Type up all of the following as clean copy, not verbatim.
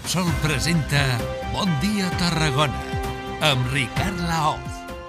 Repsol presenta Bon dia Tarragona amb Ricard Laoz.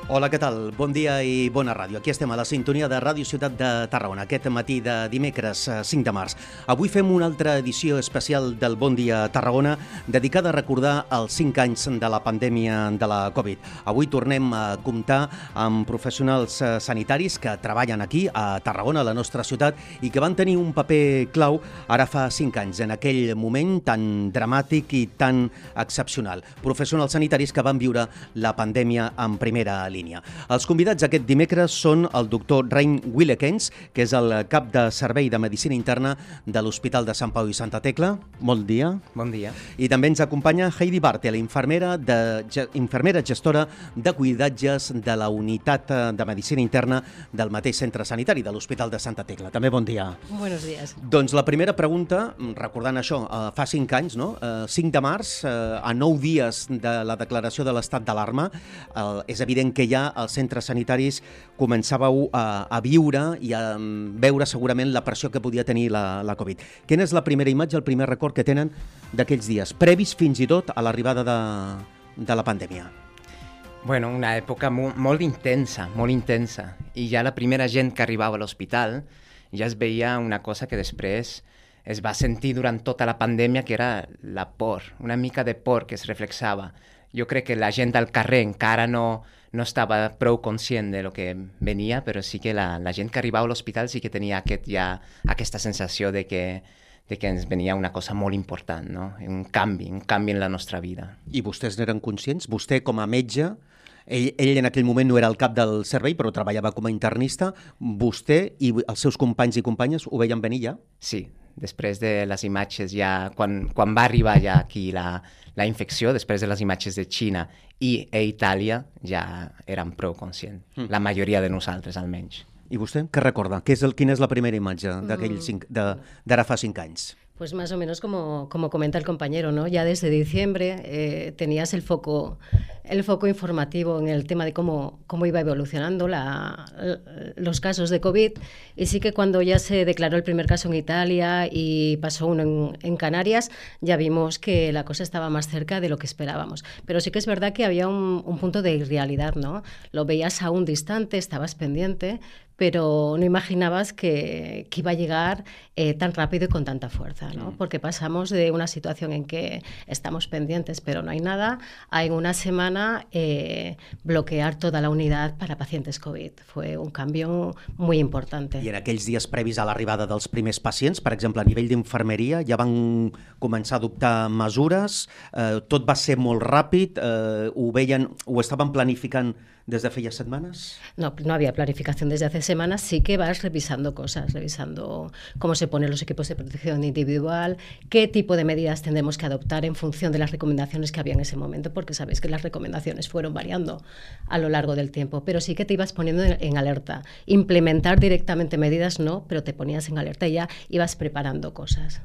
Hola, què tal? Bon dia i bona ràdio. Aquí estem a la sintonia de Ràdio Ciutat de Tarragona, aquest matí de dimecres 5 de març. Avui fem una altra edició especial del Bon dia Tarragona dedicada a recordar els 5 anys de la pandèmia de la Covid. Avui tornem a comptar amb professionals sanitaris que treballen aquí, a Tarragona, a la nostra ciutat, i que van tenir un paper clau ara fa 5 anys, en aquell moment tan dramàtic i tan excepcional. Professionals sanitaris que van viure la pandèmia en primera línia. Els convidats aquest dimecres són el doctor Rein Willekens, que és el cap de servei de Medicina Interna de l'Hospital de Sant Pau i Santa Tecla. Bon dia. Bon dia. I també ens acompanya Heidi Bartel, infermera gestora de cuidatges de la unitat de Medicina Interna del mateix centre sanitari de l'Hospital de Santa Tecla. També bon dia. Buenos días. Doncs la primera pregunta, recordant això, fa 5 anys, no? 5 de març, a 9 dies de la declaració de l'estat d'alarma, és evident que ja als centres sanitaris començàveu a viure i a veure segurament la pressió que podia tenir la Covid. Quina és la primera imatge, el primer record que tenen d'aquells dies, previs fins i tot a l'arribada de la pandèmia? Bueno, una època molt intensa, i ja la primera gent que arribava a l'hospital ja es veia una cosa que després es va sentir durant tota la pandèmia, que era la por, una mica de por que es reflexava. Jo crec que la gent al carrer encara no estava prou conscient de lo que venia, però sí que la gent que arribava a l'hospital sí que tenia aquesta sensació de que ens venia una cosa molt important, no? Un canvi en la nostra vida. I vostès n'eren conscients? Vostè, com a metge, ell en aquell moment no era el cap del servei, però treballava com a internista. Vostè i els seus companys i companyes ho veien venir ja? Sí, després de les imatges ja, quan va arribar ja aquí la infecció, després de les imatges de Xina i Itàlia, ja érem prou conscients, la majoria de nosaltres almenys. I vostè què recorda? Quina és la primera imatge d'ara fa 5 anys? Pues más o menos como comenta el compañero, ¿no? Ya desde diciembre tenías el foco informativo en el tema de cómo iba evolucionando los casos de COVID, y sí que cuando ya se declaró el primer caso en Italia y pasó uno en Canarias, ya vimos que la cosa estaba más cerca de lo que esperábamos. Pero sí que es verdad que había un punto de irrealidad, ¿no? Lo veías aún distante, estabas pendiente, pero no imaginabas que iba a llegar tan rápido y con tanta fuerza, ¿no? Porque pasamos de una situación en que estamos pendientes pero no hay nada, a en una semana bloquear toda la unidad para pacientes COVID. Fue un cambio muy importante. I en aquells dies previs a l'arribada dels primers pacients, per exemple, a nivell d'infermeria, ja van començar a adoptar mesures, tot va ser molt ràpid, ho estaven planificant des de feia setmanes? No había planificación desde hace semanas, sí que vas revisando cosas, revisando cómo se ponen los equipos de protección individual, qué tipo de medidas tendremos que adoptar en función de las recomendaciones que había en ese momento, porque sabéis que las recomendaciones fueron variando a lo largo del tiempo, pero sí que te ibas poniendo en alerta. Implementar directamente medidas no, pero te ponías en alerta i ja ibas preparando coses.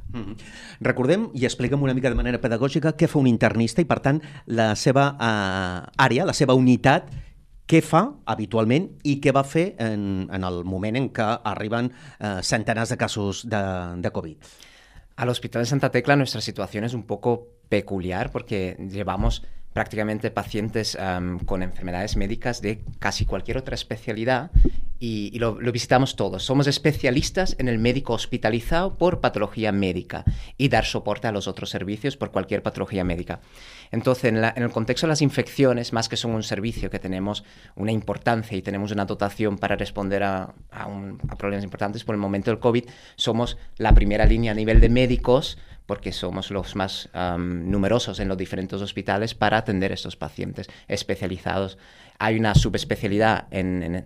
Recordem i expliquem una mica de manera pedagògica què fa un internista i, per tant, la seva àrea, la seva unitat, què fa habitualment i què va fer en el moment en què arriben centenars de casos de COVID. Al Hospital de Santa Tecla nuestra situación es un poco peculiar porque llevamos prácticamente pacientes con enfermedades médicas de casi cualquier otra especialidad y lo visitamos todos. Somos especialistas en el médico hospitalizado por patología médica y dar soporte a los otros servicios por cualquier patología médica. Entonces, en el contexto de las infecciones, más que son un servicio que tenemos una importancia y tenemos una dotación para responder a problemas importantes, por el momento del COVID, somos la primera línea a nivel de médicos porque somos los más numerosos en los diferentes hospitales para atender a estos pacientes especializados. Hay una subespecialidad en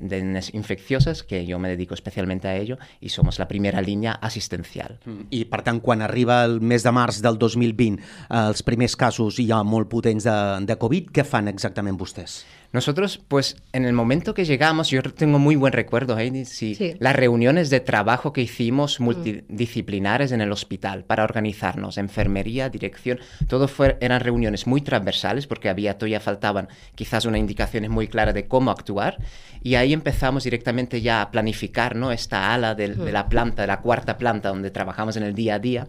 infecciosas, que yo me dedico especialmente a ello, y somos la primera línea assistencial. I, per tant, quan arriba el mes de març del 2020, els primers casos ja molt potents de Covid, què fan exactament vostès? Nosotros, pues, en el momento que llegamos, yo tengo muy buen recuerdo, Heidi, sí. Las reuniones de trabajo que hicimos multidisciplinares en el hospital para organizarnos, enfermería, dirección, todo eran reuniones muy transversales porque todavía faltaban quizás unas indicaciones muy claras de cómo actuar, y ahí empezamos directamente ya a planificar, ¿no?, esta ala de la planta, de la cuarta planta donde trabajamos en el día a día.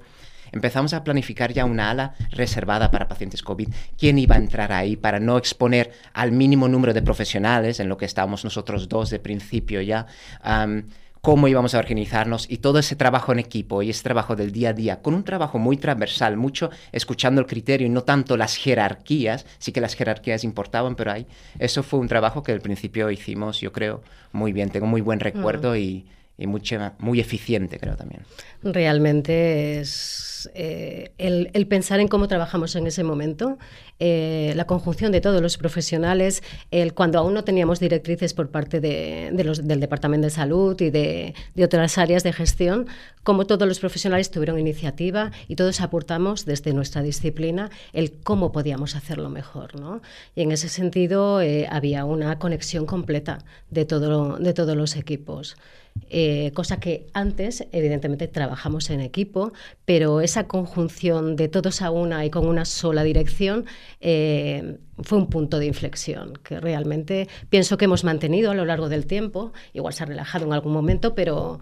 empezamos a planificar ya una ala reservada para pacientes COVID. ¿Quién iba a entrar ahí para no exponer al mínimo número de profesionales, en lo que estábamos nosotros dos de principio ya? Cómo íbamos a organizarnos y todo ese trabajo en equipo y ese trabajo del día a día, con un trabajo muy transversal, mucho escuchando el criterio y no tanto las jerarquías. Sí que las jerarquías importaban, pero eso fue un trabajo que al principio hicimos, yo creo, muy bien. Tengo muy buen recuerdo y muy eficiente, creo, también. Realmente es el pensar en cómo trabajamos en ese momento, la conjunción de todos los profesionales, cuando aún no teníamos directrices por parte del Departamento de Salud y de otras áreas de gestión, cómo todos los profesionales tuvieron iniciativa y todos aportamos desde nuestra disciplina el cómo podíamos hacerlo mejor, ¿no? Y en ese sentido había una conexión completa de todos los equipos. Cosa que antes, evidentemente, trabajamos en equipo, pero esa conjunción de todos a una y con una sola dirección fue un punto de inflexión que realmente pienso que hemos mantenido a lo largo del tiempo. Igual se ha relajado en algún momento, pero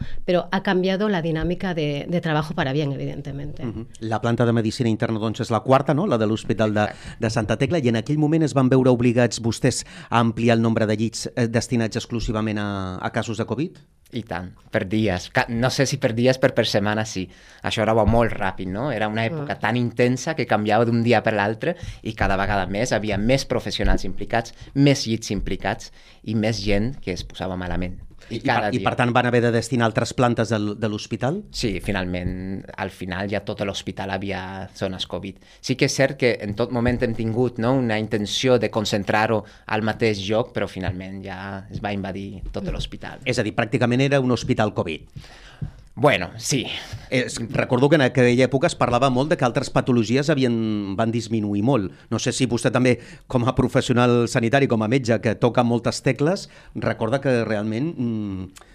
ha cambiado la dinámica de trabajo para bien, evidentemente. La planta de medicina interna, doncs, és la quarta, no? La de l'Hospital de Santa Tecla, i en aquell moment es van veure obligats vostès a ampliar el nombre de llits destinats exclusivament a casos de Covid? I tant, per dies. No sé si per dies, per setmana sí. Això era molt ràpid, no? Era una època tan intensa que canviava d'un dia per l'altre i cada vegada més havia més professionals implicats, més llits implicats i més gent que es posava malament. I per tant van haver de destinar altres plantes de l'hospital? Sí, finalment, al final ja tot l'hospital havia zones Covid. Sí que és cert que en tot moment hem tingut, no, una intenció de concentrar-ho al mateix lloc, però finalment ja es va invadir tot l'hospital. És a dir, pràcticament era un hospital Covid. Bueno, sí. Recordo que en aquella època es parlava molt de que altres patologies van disminuir molt. No sé si vostè també, com a professional sanitari, com a metge, que toca moltes tecles, recorda que realment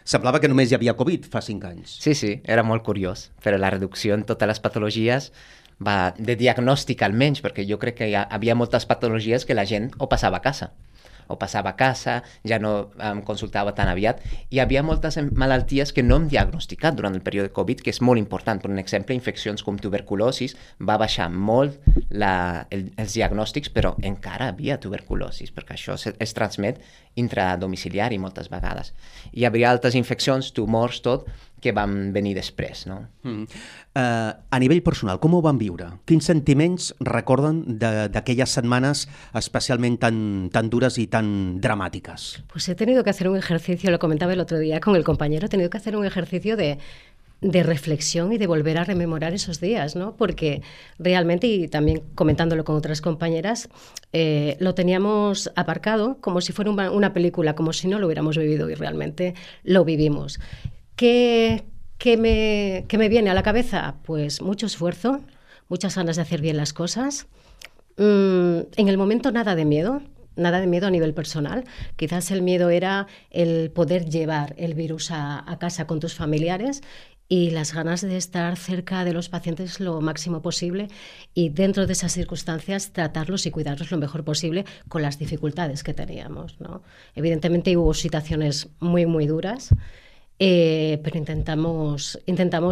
semblava que només hi havia Covid fa 5 anys. Sí, era molt curiós, però la reducció en totes les patologies de diagnòstic almenys, perquè jo crec que hi havia moltes patologies que la gent o passava a casa, ja no consultava tan aviat. I hi havia moltes malalties que no hem diagnosticat durant el període Covid, que és molt important. Per exemple, infeccions com tuberculosis, va baixar molt els diagnòstics, però encara havia tuberculosis, perquè això es transmet intradomiciliari moltes vegades. Hi havia altres infeccions, tumors, tot, que van venir després, no? A nivell personal, com ho van viure? Quins sentiments recorden d'aquelles setmanes especialment tan dures y tan dramáticas? Pues he tenido que hacer un ejercicio, lo comentaba el otro día con el compañero, he tenido que hacer un ejercicio de reflexión y de volver a rememorar esos días, ¿no? Porque realmente, y también comentándolo con otras compañeras, lo teníamos aparcado como si fuera una película, como si no lo hubiéramos vivido, y realmente lo vivimos. ¿Qué me viene a la cabeza? Pues mucho esfuerzo, muchas ganas de hacer bien las cosas. En el momento nada de miedo a nivel personal. Quizás el miedo era el poder llevar el virus a casa con tus familiares y las ganas de estar cerca de los pacientes lo máximo posible y dentro de esas circunstancias tratarlos y cuidarlos lo mejor posible con las dificultades que teníamos, ¿no? Evidentemente hubo situaciones muy, muy duras, pero intentamos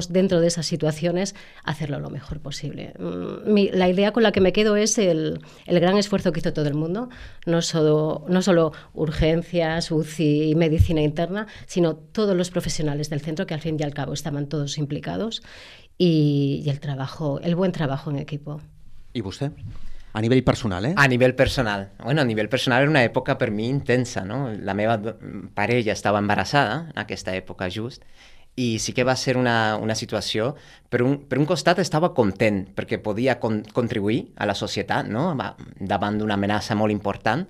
dentro de esas situaciones hacerlo lo mejor posible. La idea con la que me quedo es el gran esfuerzo que hizo todo el mundo, no solo urgencias, UCI y medicina interna, sino todos los profesionales del centro que al fin y al cabo estaban todos implicados y el buen trabajo en equipo. ¿Y usted? A nivell personal, eh? A nivell personal. Bueno, a nivell personal era una època per mi intensa, no? La meva parella estava embarassada en aquesta època just i sí que va ser una situació, per un costat estava content perquè podia contribuir a la societat, no? Davant d'una amenaça molt important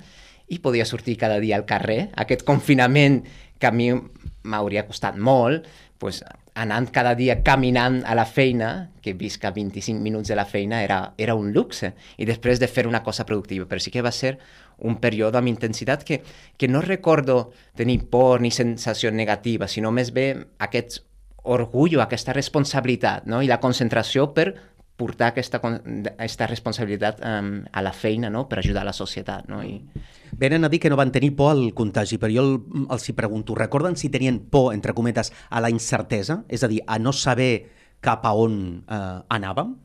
i podia sortir cada dia al carrer. Aquest confinament que a mi m'hauria costat molt, pues, anant cada dia caminant a la feina, que visc a 25 minuts de la feina, era un luxe, i després de fer una cosa productiva. Però sí que va ser un període amb intensitat que no recordo tenir por ni sensació negativa, sinó més bé aquest orgull, aquesta responsabilitat, no? I la concentració per portar aquesta responsabilitat a la feina, no? Per ajudar a la societat, no? Venen a dir que no van tenir por al contagi, però jo els hi pregunto, recorden si tenien por, entre cometes, a la incertesa? És a dir, a no saber cap a on anàvem?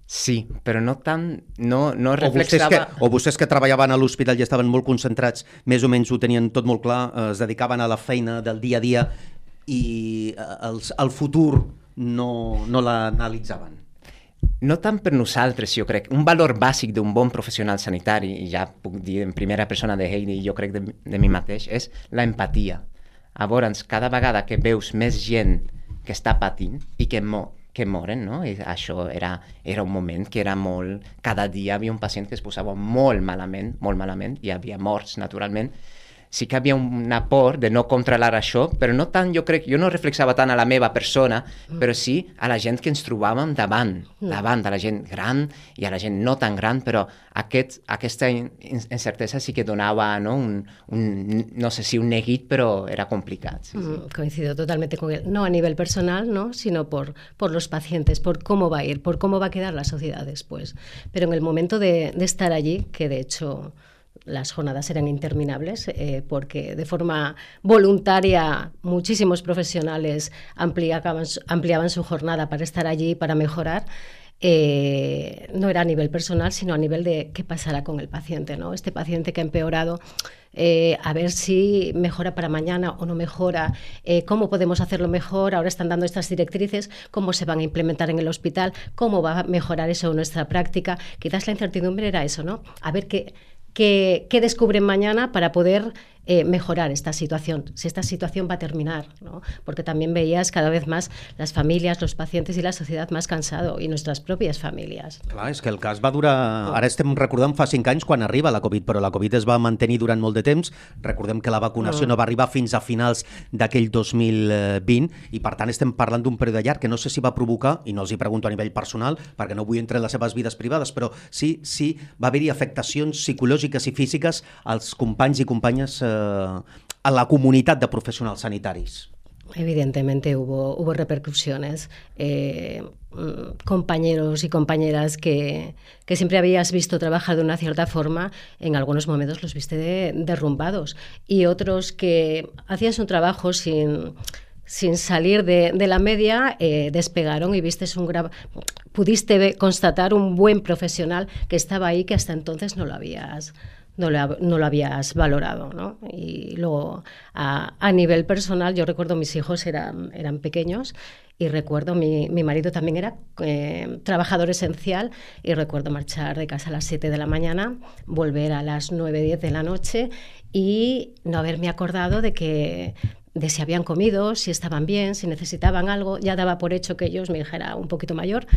Sí, però no tant, no reflexava... O vostès que treballaven a l'hospital i estaven molt concentrats, més o menys ho tenien tot molt clar, es dedicaven a la feina del dia a dia i el futur no l'analitzaven? No tant per nosaltres, jo crec. Un valor bàsic d'un bon professional sanitari, i ja puc dir en primera persona de Heidi, jo crec de mi mateix, és la empatia. Llavors, cada vegada que veus més gent que està patint i que moren, no? I això era un moment que era molt... Cada dia hi havia un pacient que es posava molt malament, hi havia morts, naturalment. Sí que hi havia una por de no controlar això, però no tant, jo no reflexava tant a la meva persona, però sí a la gent que ens trobàvem davant, a la gent gran i a la gent no tan gran, però aquesta incertesa sí que donava, ¿no? No sé si un neguit, pero era complicado. Sí. Coincido totalmente con él. No a nivel personal, ¿no? Sino por los pacientes, por cómo va a ir, por cómo va a quedar la sociedad después. Pero en el momento de estar allí, que de hecho las jornadas eran interminables, porque de forma voluntaria muchísimos profesionales ampliaban su jornada para estar allí, para mejorar. No era a nivel personal, sino a nivel de qué pasará con el paciente, ¿no? Este paciente que ha empeorado, a ver si mejora para mañana o no mejora, cómo podemos hacerlo mejor, ahora están dando estas directrices, cómo se van a implementar en el hospital, cómo va a mejorar eso en nuestra práctica. Quizás la incertidumbre era eso, ¿no? A ver qué descubren mañana para poder mejorar esta situación, si esta situación va a terminar, ¿no? Porque también veías cada vez más las familias, los pacientes i la societat més cansado, i nostres pròpies famílies. Clar, és que el cas va durar... Ara estem recordant fa 5 anys quan arriba la Covid, però la Covid es va mantenir durant molt de temps. Recordem que la vacunació no va arribar fins a finals d'aquell 2020 i per tant estem parlant d'un període llarg que no sé si va provocar, i no els hi pregunto a nivell personal perquè no vull entrar en les seves vides privades, però sí va haver-hi afectacions psicològiques i físiques als companys i companyes a la comunitat de profesionals sanitaris. Evidentemente hubo repercusiones. Compañeros y compañeras que siempre habías visto trabajar de una cierta forma, en algunos momentos los viste derrumbados. Y otros que hacían su trabajo sin salir de la media, despegaron y pudiste constatar un buen profesional que estaba ahí, que hasta entonces no lo habías valorado, ¿no? Y luego, a nivel personal, yo recuerdo mis hijos eran pequeños y recuerdo mi marido también era trabajador esencial y recuerdo marchar de casa a las 7 de la mañana, volver a las 9, 10 de la noche y no haberme acordado de si habían comido, si estaban bien, si necesitaban algo. Ya daba por hecho que ellos, mi hija era un poquito mayor,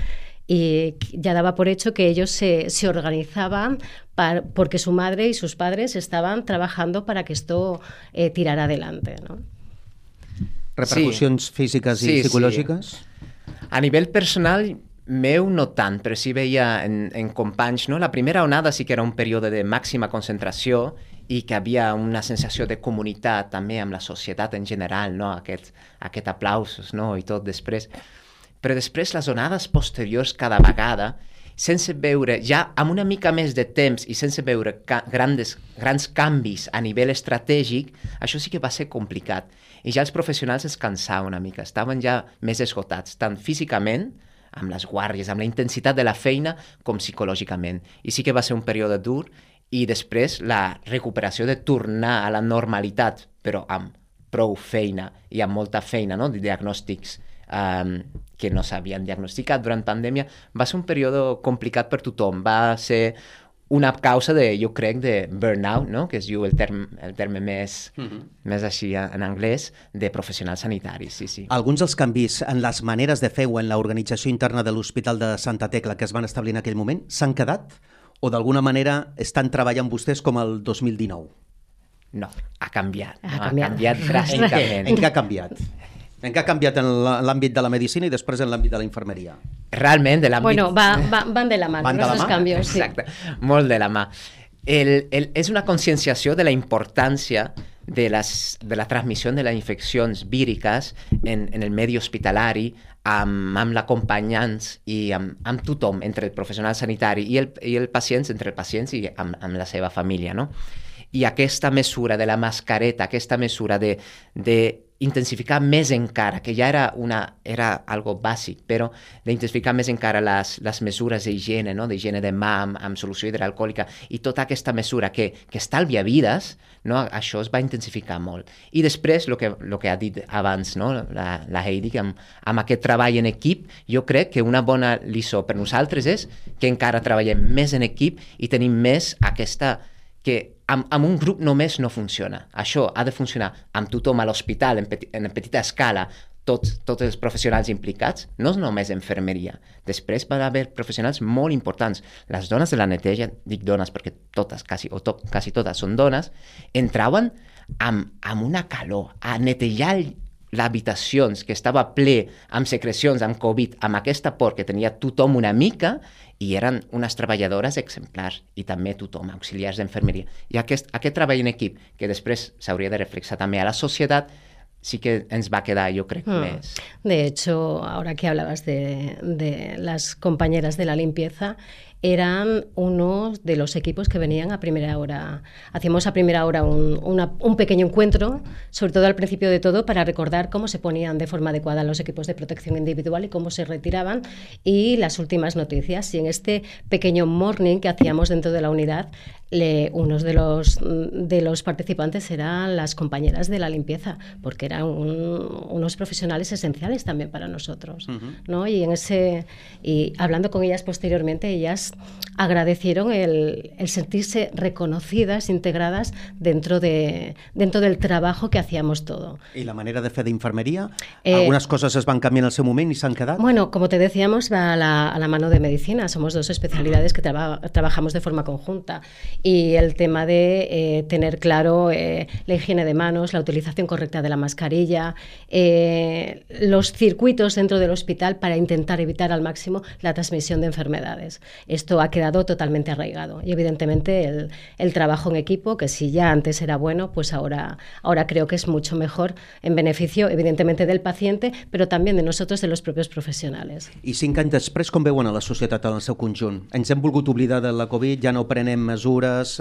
y ya daba por hecho que ellos se organizaban porque su madre y sus padres estaban trabajando para que esto tirara adelante, ¿no? Repercussions físiques i psicològiques? Sí. A nivell personal, meu no tant, però sí veia en companys, no? La primera onada sí que era un període de màxima concentració i que havia una sensació de comunitat també amb la societat en general, no? Aquest aplausos, no? I tot després. Però després les onades posteriors cada vegada, sense veure, ja amb una mica més de temps i sense veure grans canvis a nivell estratègic, això sí que va ser complicat. I ja els professionals es cansaven una mica, estaven ja més esgotats, tant físicament, amb les guàrdies, amb la intensitat de la feina, com psicològicament. I sí que va ser un període dur, i després la recuperació de tornar a la normalitat, però amb prou feina i amb molta feina, no? De diagnòstics que no s'havien diagnosticat durant pandèmia, va ser un període complicat per tothom. Va ser una causa jo crec, de burnout, no? Que es diu el terme més així en anglès, de professionals sanitaris. Sí. Alguns dels canvis en les maneres de fer o en l'organització interna de l'Hospital de Santa Tecla que es van establir en aquell moment s'han quedat? O d'alguna manera estan treballant vostès com el 2019? No, ha canviat. Ha canviat dràsticament. En què ha canviat? En què ha canviat en l'àmbit de la medicina i després en l'àmbit de la infermeria? Realment, de l'àmbit... Bueno, van de la mà, aquests canvis. Exacte, molt de la mà. És una conscienciació de la importància de la transmissió de les infeccions víriques en el medi hospitalari, amb l'acompanyants i amb tothom, entre el professional sanitari i el pacient, entre els pacients i amb la seva família, no? I aquesta mesura de la mascareta, aquesta mesura de intensificar més encara, que ja era algo bàsic, però d'intensificar més encara les mesures d'higiene, no? D'higiene de mà amb solució hidroalcohòlica i tota aquesta mesura que estalvia vides, no? Això es va intensificar molt. I després, el que ha dit abans, no? la Heidi, amb aquest treball en equip, jo crec que una bona lliçó per nosaltres és que encara treballem més en equip i tenim més aquesta que amb un grup només no funciona. Això ha de funcionar amb tothom a l'hospital, en petita escala, tots els professionals implicats, no només infermeria. Després va haver professionals molt importants. Les dones de la neteja, dic dones perquè totes, quasi totes són dones, entraven amb una calor a netejar l'habitacions que estava ple amb secrecions, amb Covid, amb aquesta por que tenia tothom una mica, i eren unes treballadores exemplars, i també tothom, auxiliars d'enfermeria. I aquest treball en equip, que després s'hauria de reflexar també a la societat, sí que ens va quedar, yo creo, més. De hecho, ahora que hablabas de las compañeras de la limpieza, eran uno de los equipos que venían a primera hora. Hacíamos a primera hora un pequeño encuentro, sobre todo al principio de todo, para recordar cómo se ponían de forma adecuada los equipos de protección individual y cómo se retiraban, y las últimas noticias. Y en este pequeño morning que hacíamos dentro de la unidad, unos de los participantes eran las compañeras de la limpieza, porque eran unos profesionales esenciales también para nosotros, ¿no? Y hablando con ellas posteriormente, ellas agradecieron el sentirse reconocidas, integradas dentro del trabajo que hacíamos todo. ¿Y la manera de fer d'infermeria? Algunas cosas es van canviar en el seu moment y s'han quedat? Bueno, como te decíamos, va a la mano de medicina. Somos dos especialidades que trabajamos de forma conjunta. Y el tema de tener claro la higiene de manos, la utilización correcta de la mascarilla, los circuitos dentro del hospital para intentar evitar al máximo la transmisión de enfermedades. Esto ha quedado totalmente arraigado. Y evidentemente el trabajo en equipo, que si ya antes era bueno, pues ahora creo que es mucho mejor, en beneficio evidentemente del paciente, pero también de nosotros, de los propios profesionales. I 5 anys després, com veuen a la societat en el seu conjunt? Ens hem volgut oblidar de la Covid, ja no prenem mesures,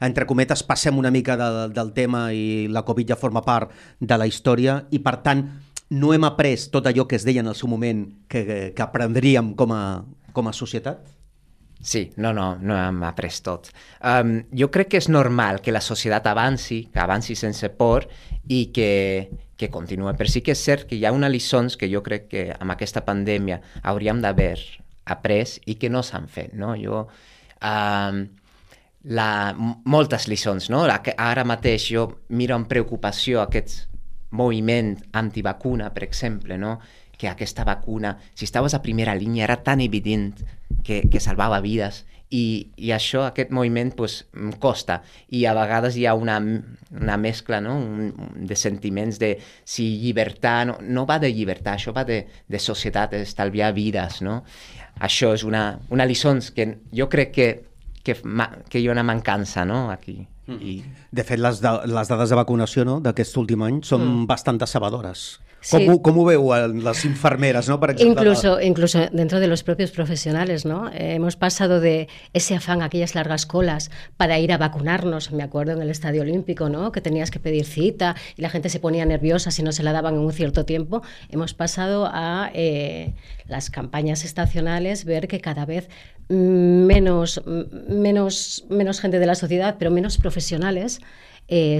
entre cometes passem una mica del tema i la Covid ja forma part de la història i, per tant, no hem après tot allò que es deia en el seu moment que aprendríem com a societat? Sí, no hem après tot. Jo crec que és normal que la societat avanci, que avanci sense por i que continuï. Però sí que és cert que hi ha unes lliçons que jo crec que amb aquesta pandèmia hauríem d'haver après i que no s'han fet, no? Moltes lliçons, no? Ara mateix jo miro amb preocupació aquest moviment antivacuna, per exemple, no? Que aquesta vacuna, si estaves a primera línia, era tan evident que salvava vides, i això, aquest moviment, pues, costa, i a vegades hi ha una mescla, no? De sentiments de si llibertat, no va de llibertat, això va de societat, d'estalviar vides, no? Això és una lliçó que jo crec que hi ha una mancança, no? Aquí. De fet, les dades de vacunació, no, d'aquest últim any són bastant decebedores. Sí. ¿Cómo veo a las enfermeras, ¿no? Para incluso dentro de los propios profesionales, ¿no? Hemos pasado de ese afán, aquellas largas colas para ir a vacunarnos, me acuerdo en el Estadio Olímpico, ¿no? Que tenías que pedir cita y la gente se ponía nerviosa si no se la daban en un cierto tiempo. Hemos pasado a las campañas estacionales, ver que cada vez menos gente de la sociedad, pero menos profesionales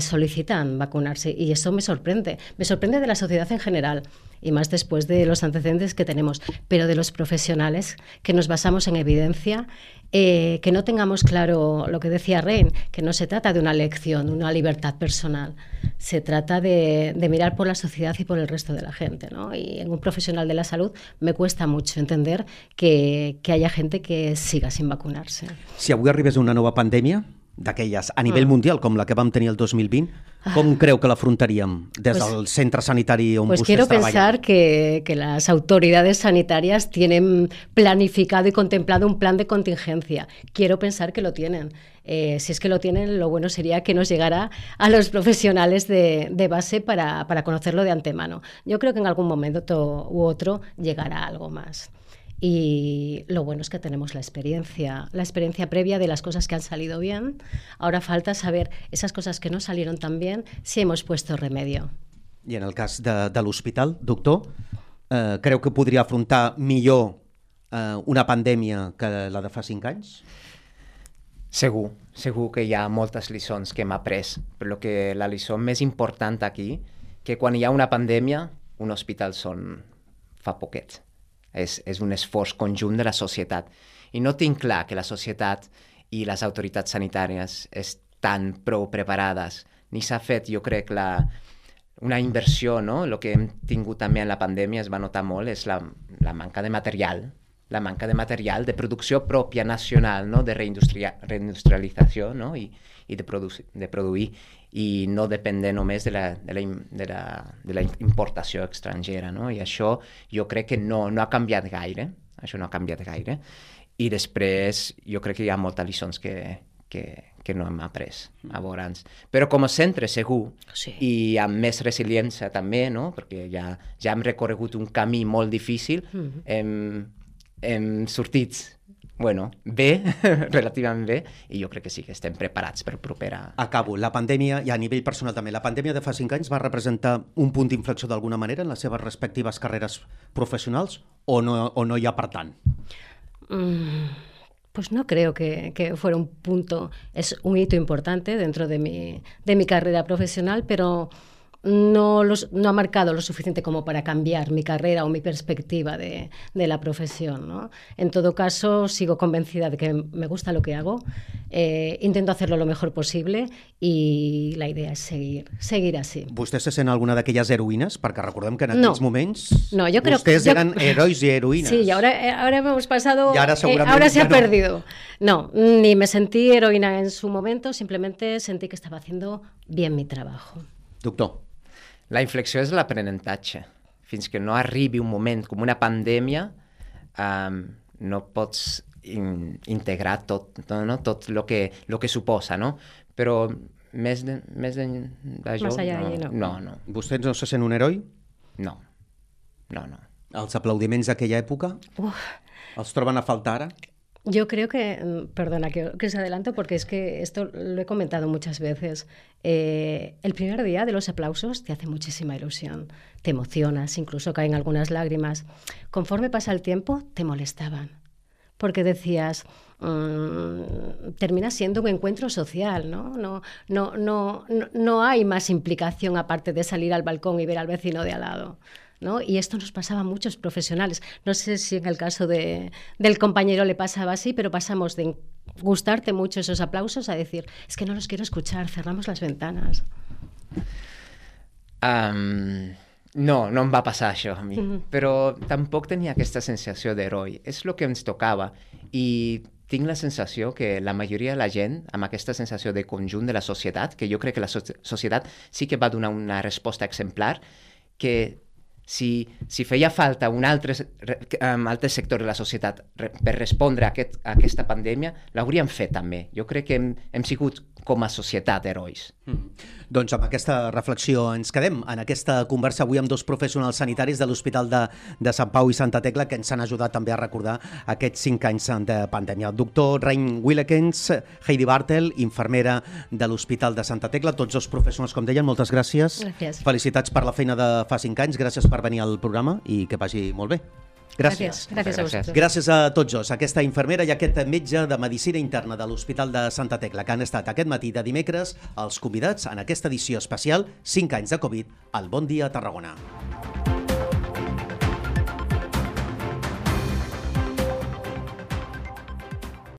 solicitan vacunarse, y eso me sorprende de la sociedad en general, y más después de los antecedentes que tenemos, pero de los profesionales que nos basamos en evidencia, que no tengamos claro lo que decía Rein, que no se trata de una elección, una libertad personal, se trata de mirar por la sociedad y por el resto de la gente, ¿no? Y en un profesional de la salud me cuesta mucho entender que haya gente que siga sin vacunarse. Si avui arribés una nova pandèmia, d'aquelles a nivell mundial, com la que vam tenir el 2020, com creu que l'afrontaríem des del centre sanitari on vostès quiero treballen? Pensar que las autoridades sanitarias tienen planificado y contemplado un plan de contingencia. Quiero pensar que lo tienen. Si es que lo tienen, lo bueno sería que nos llegara a los profesionales de base para conocerlo de antemano. Yo creo que en algún momento u otro llegará algo más. Y lo bueno es que tenemos la experiencia previa de las cosas que han salido bien. Ahora falta saber esas cosas que no salieron tan bien, si hemos puesto remedio. I en el cas de l'hospital, doctor, creu que podria afrontar millor una pandèmia que la de fa 5 anys? Segur que hi ha moltes lliçons que hem après, però que la lliçó més important aquí, que quan hi ha una pandèmia, un hospital fa poquet. És un esforç conjunt de la societat. I no tinc clar que la societat i les autoritats sanitàries estan prou preparades. Ni s'ha fet, jo crec, una inversió, no? El que hem tingut també en la pandèmia es va notar molt, és la manca de material, de producció pròpia nacional, no? De reindustrialització, no? I de produir, i no dependre només de la importació estrangera, no? I això jo crec que no ha canviat gaire, i després jo crec que hi ha moltes lliçons que no hem après abans. Però com a centre segur, Sí. i amb més resiliència també, no? Perquè ja hem recorregut un camí molt difícil, hem sortit bé, relativament bé, i jo crec que sí que estem preparats per propera... Acabo. La pandèmia, i a nivell personal també, la pandèmia de fa 5 anys va representar un punt d'inflexió d'alguna manera en les seves respectives carreres professionals o no hi ha per tant? Pues no creo que fuera un punto, es un hito importante dentro de mi carrera profesional, pero no ha marcado lo suficiente como para cambiar mi carrera o mi perspectiva de la profesión, ¿no? En todo caso, sigo convencida de que me gusta lo que hago, intento hacerlo lo mejor posible y la idea es seguir así. Vostè se sent alguna d'aquelles heroïnes? Perquè recordem que en aquells moments vostès eren herois i heroïnes. Sí, y ahora hemos pasado... Y ahora seguramente ahora se ya ha no. perdido. No, ni me sentí heroína en su momento, simplemente sentí que estaba haciendo bien mi trabajo. Doctor. La inflexió és l'aprenentatge. Fins que no arribi un moment com una pandèmia, no pots integrar tot el que suposa, no? Però més d'això... Més allà d'allí, no. No. Vostè no se sent un heroi? No. Els aplaudiments d'aquella època? Els troben a faltar ara? Yo creo que, perdona que os adelanto porque es que esto lo he comentado muchas veces, el primer día de los aplausos te hace muchísima ilusión, te emocionas, incluso caen algunas lágrimas. Conforme pasa el tiempo te molestaban, porque decías, termina siendo un encuentro social, ¿no? No hay más implicación aparte de salir al balcón y ver al vecino de al lado, ¿no? Y esto nos pasaba a muchos profesionales. No sé si en el caso del compañero le pasaba así, pero pasamos de gustarte mucho esos aplausos a decir, es que no los quiero escuchar, cerramos las ventanas. No em va passar això a mi, però tampoc tenia aquesta sensació d'heroi. És el que ens tocava i tinc la sensació que la majoria de la gent, amb aquesta sensació de conjunt de la societat, que jo crec que la societat sí que va donar una resposta exemplar, que si feia falta un altre sector de la societat per respondre a aquesta pandèmia, l'hauríem fet també. Jo crec que hem sigut com a societat herois. Doncs amb aquesta reflexió ens quedem en aquesta conversa avui amb dos professionals sanitaris de l'Hospital de Sant Pau i Santa Tecla que ens han ajudat també a recordar aquests 5 anys de pandèmia. El doctor Rein Willekens, Heidi Bartel, infermera de l'Hospital de Santa Tecla, tots dos professionals, com deien, moltes gràcies. Gràcies. Felicitats per la feina de fa 5 anys, gràcies per venir al programa i que vagi molt bé. Gràcies. Gràcies a vosaltres. Gràcies a tots dos, aquesta infermera i aquest metge de Medicina Interna de l'Hospital de Santa Tecla, que han estat aquest matí de dimecres els convidats en aquesta edició especial 5 anys de Covid al Bon Dia Tarragona.